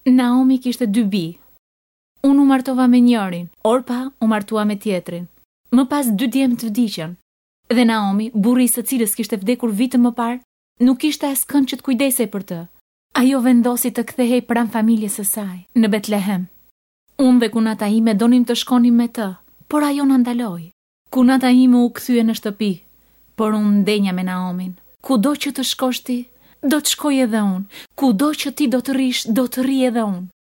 Naomi kishte dy bij. Unë u martova me njërin, Orpa u martua me tjetrin. Më pas dy djemtë vdiqën. Dhe Naomi, burri i së cilës kishte vdekur vite më parë, nuk kishte askënd që të kujdesej për të. Ajo vendosi të kthehej pranë familjes së saj, në Betlehem. Unë dhe kunata ime donim të shkonim me të, por ajo na ndaloi. Kunata ime u kthye në shtëpi, por unë ndenja me Naomin. Kudo që të shkosh ti, do të shkoj edhe unë. Kudo që ti do të rrish, do të rri edhe unë.